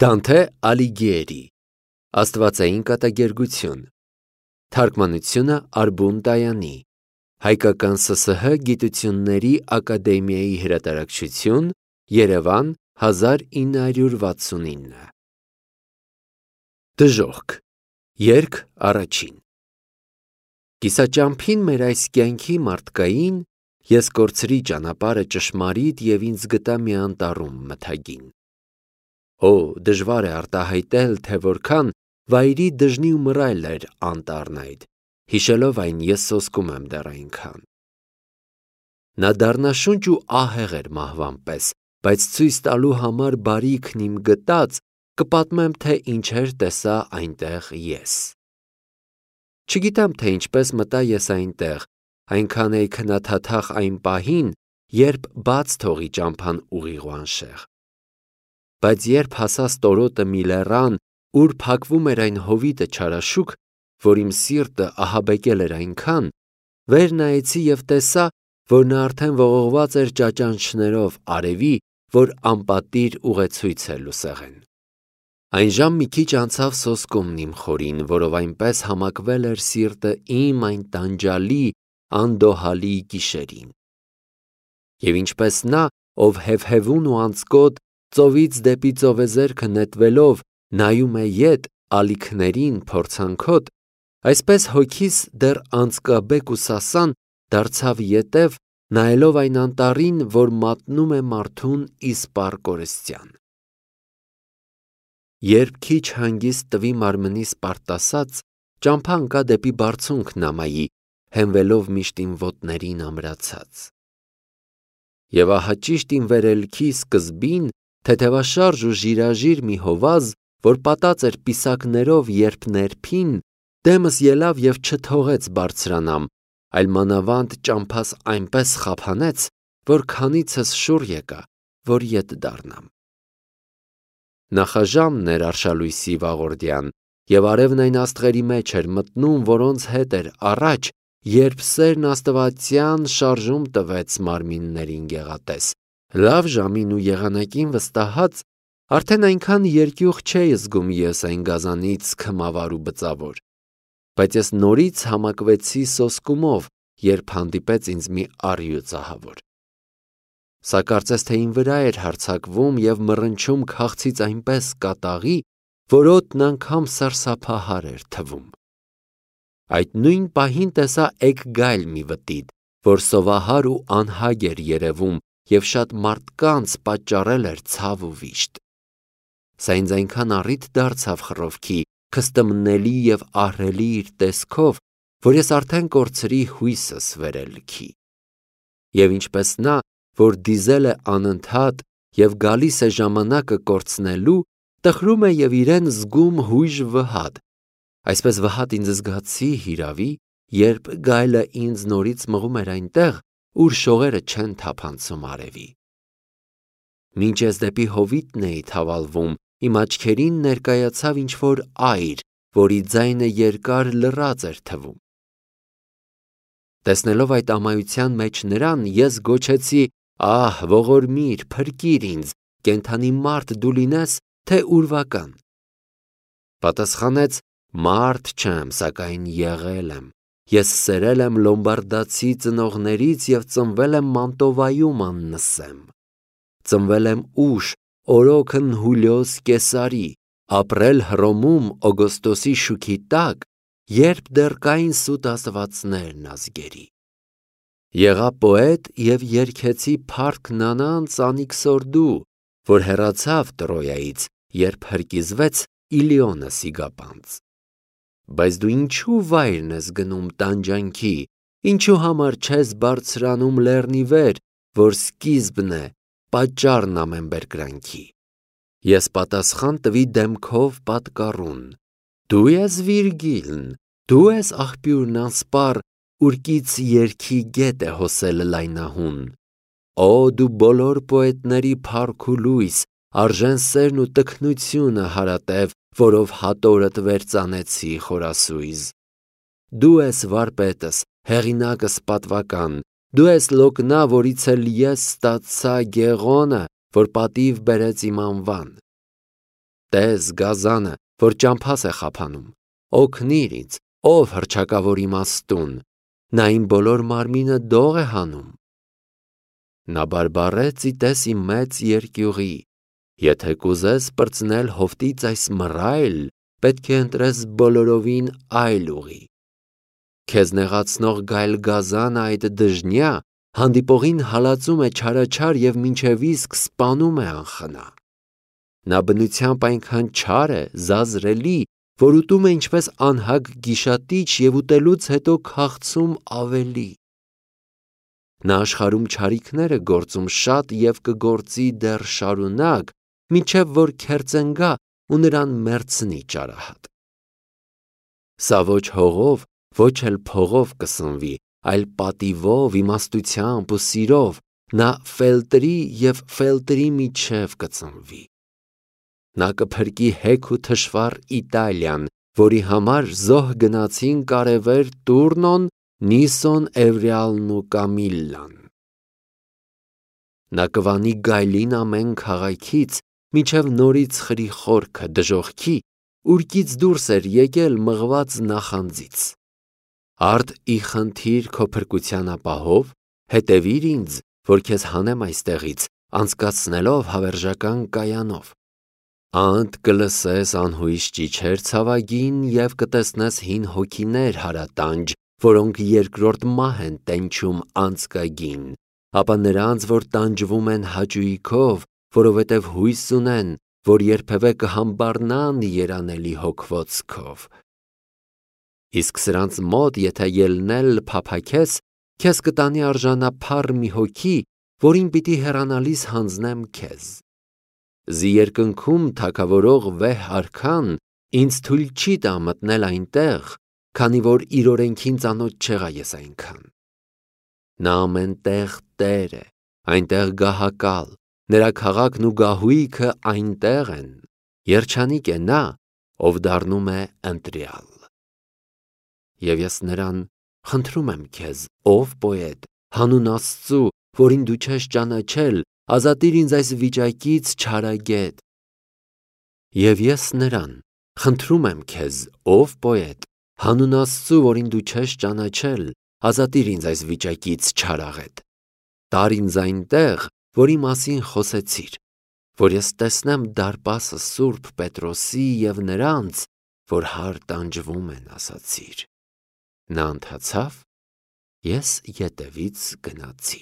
Դանթե Ալիգիերի Աստվածային կատակերգություն Թարգմանությունը Արբուն Դայանի Հայկական ՍՍՀ Գիտությունների Ակադեմիայի հրատարակչություն Երևան 1969 Դժոխք Երգ առաջին Կիսաճամփին մեր այս կյանքի մարդկային ես կորցրի ճանապարհը ճշմարիտ և ինձ գտա մի անտառում մթագին Օ, դժվար է արտահայտել, թե որքան վայրի դժնի ու մռայլ էր անտառն այդ, հիշելով այն ես սոսկում եմ դեռ այնքան։ Նա դառնաշունչ ու ահեղ էր մահվան պես, բայց ցույց տալու համար բարիքն իմ գտած, կպատմեմ, թե ինչեր տեսա այնտեղ ես։ Չգիտեմ, թե ինչպես մտա ես այնտեղ, այնքան էի քնաթաթախ այն պահին, երբ բաց թողի ճամփան ուղիղ ու անշեղ։ Բայց երբ հասա ստորոտը մի լեռան, ուր փակվում էր այն հովիտը չարաշուք, որ իմ սիրտը ահաբեկել էր այնքան, վեր նայեցի և տեսա, որ նա արդեն ողողված էր ճաճանչներով արևի, որ անպատիր ուղեցույց է լուսեղեն։ Այն մի քիչ անցավ սոսկումն իմ խորին, որով այնպես համակվել էր սիրտը իմ այն տանջալի, անդոհալի գիշերին։ Եվ ինչպես նա, ով հևհևուն ու անձկոտ, ծովից դեպի ծովեզերքը նետվելով նայում է ետ ալիքներին փորձանքոտ, այսպես հոգիս դեռ անձկաբեկ ու սասան դարձավ ետև, նայելով այն անտառին, որ մատնում է մարդուն իսպառ կորստյան։ Երբ քիչ հանգիստ տվի մարմնիս պարտասած, ճամփա ընկա դեպի բարձունք նամայի, հենվելով միշտ իմ ոտներին ամրացած։ Եվ ահա ճիշտ իմ վերելքի սկզբին թեթևաշարժ ու ժիրաժիր մի հովազ, որ պատած էր պիսակներով, երբ ներփին, դեմս ելավ և չթողեց բարձրանամ, այլ մանավանդ ճամփաս այնպես խափանեց, որ քանիցս շուռ եկա, որ ետ դառնամ։ Նախաժամն էր արշալույսի վաղորդյան, և արևն այն աստղերի մեջ էր մտնում, որոնց հետ էր առաջ, երբ սերն աստվածյան շարժում տվեց մարմիններին գեղատես, լավ ժամին ու եղանակին վստահած, արդեն այնքան երկյուղ չէի զգում ես այն գազանից քմավար ու բծավոր, բայց ես նորից համակվեցի սոսկումով, երբ հանդիպեց ինձ մի առյուծ ահավոր։ Սա կարծես թե իմ վրա էր հարձակվում և մռնչում քաղցից այնպես կատաղի, որ օդն անգամ սարսափահար էր թվում։ Այդ նույն պահին տեսա էգգայլ մի վտիտ, որ սովահար ու անհագ էր երևում և շատ մարդկանց պատճառել էր ցավ ու վիշտ։ Սա ինձ այնքան առիթ դարձավ խռովքի, քստմնելի և ահռելի իր տեսքով, որ ես արդեն կորցրի հույսս վերելքի։ Եվ ինչպես նա, որ դիզել է անընդհատ և գալիս է ժամանակը կորցնելու, տխրում է և իրեն զգում հույժ վհատ, այսպես վհատ ինձ զգացի հիրավի, երբ գայլը ինձ նորից մղում էր այնտեղ, ուր շողերը չեն թափանցում արևի։ Մինչ ես դեպի հովիտն էի թավալվում, իմ աչքերին ներկայացավ ինչ-որ այր, որի ձայնը երկար լռած էր թվում։ Տեսնելով այդ ամայության մեջ նրան, ես գոչեցի. «Ահ, ողորմիր, փրկիր ինձ, կենդանի մարդ դու լինես, թե ուրվական»։ Պատասխանեց. «Մարդ չեմ, սակայն եղել եմ, ես սերել եմ լոմբարդացի ծնողներից և ծնվել եմ Մանտովայում աննսեմ։ Ծնվել եմ ուշ, օրոքն Հուլիոս Կեսարի, ապրել Հռոմում Օգոստոսի շուքի տակ, երբ դեռ կային սուտ աստվածներն ազգերի։ Եղա պոետ և երգեցի փառք նանան Անիքսորդու, որ հեռացավ Տրոյայից, երբ հրկիզվեց Իլիոնը Սիգապանց։ Բայց դու ինչու վայրն ես գնում տանջանքի, ինչու համար չես բարձրանում լեռնի վեր, որ սկիզբն է, պատճառն ամեն բերկրանքի։ Ես պատասխան տվի դեմքով պատկառուն. Դու ես Վիրգիլն, դու ես աղբյուրն անսպառ, ուրկից երգի գետ է հոսել լայնահուն։ Օ դու բոլոր պոետների փառք ու լույս, արժեն սերն ու տքնությունը հարատև, որով հատորդ վերծանեցի խորասույզ։ Դու ես վարպետս, հեղինակս պատվական, դու ես լոկնա, որից էլ ես ստացա գեղոնը, որ պատիվ բերեց իմ անվան։ Տես գազանը, որ ճամփաս է խափանում, օգնիր ինձ, ով հռչակավոր իմաստուն, նա իմ բոլոր մարմինը դող է հանում։ Նա բարբառեց իտես իմ մեծ երկյուղի, եթե կուզես պրծնել հովտից այս մռայլ, պետք է ընտրես բոլորովին այլ ուղի։ Քեզ նեղացնող գայլ գազանը այդ դժնյա հանդիպողին հալածում է չարաչար և մինչև իսկ սպանում է անխնա։ Նա բնությամբ այնքան չար է, զազրելի, որ ուտում է ինչպես անհագ գիշատիչ և ուտելուց հետո քաղցում ավելի։ Նա աշխարհում չարիքներ է գործում շատ և կգործի դեռ շարունակ, մինչև որ քերծեն գա ու նրան մեռցնի ճարահատ։ Սա ոչ հողով, ոչ էլ փողով կսնվի, այլ պատիվով, իմաստությամբ ու սիրով, նա ֆելտրի և ֆելտրի միջև կծնվի։ Նա կփրկի հեգ ու թշվառ Իտալիան, որի համար զոհ գնացին կարևեր Տուրնոն, Նիսոն, Էվրեալն ու Կամիլլան։ Նա կվանի գայլին ամեն քաղաքից, մինչև նորից խրի խորքը դժոխքի, ուրկից դուրս էր եկել մղված նախանձից։ Արդ ի խնդիր քո փրկության ապահով, հետևիր ինձ, որ քեզ հանեմ այստեղից, անցկացնելով հավերժական կայանով։ Անդ կլսես անհույս ճիչեր ցավագին և կտեսնես հին հոգիներ հարատանջ, որոնք երկրորդ մահ են տենչում անցկագին, ապա նրանց, որ տանջվում են հաճույքով, որովհետև հույս ունեն, որ երբևէ կհամբառնան երանելի հոգվոցքով։ Իսկ սրանց մոտ եթե ելնել փափաքես, քեզ կտանի արժանափառ մի հոգի, որին պիտի հեռանալիս հանձնեմ քեզ։ Զի երկնքում թագավորող վեհ արքան ինձ թույլ չի տա մտնել այնտեղ, քանի որ իր օրենքին ծանոթ չեղա ես այնքան։ Նա ամեն տեղ Տեր է, այնտեղ գահակալ, նրա քաղաքն ու գահույքը այնտեղ են, երջանիկ է նա, ով դառնում է ընտրյալ։ Եվ ես նրան խնդրում եմ քեզ, ով պոետ, հանուն Աստծու, որին դու չես ճանաչել, ազատիր ինձ այս վիճակից չարագետ։ Եվ ես նրան խնդրում եմ քեզ, ով պոետ, հանուն Աստծու, որին դու չես ճանաչել, ազատիր ինձ այս վիճակից չարաղետ։ Տար ինձ այնտեղ, որի մասին խոսեցիր, որ ես տեսնեմ դարպասը Սուրբ Պետրոսի և նրանց, որ հար տանջվում են, ասացիր։ Նա ընթացավ, ես ետևից գնացի։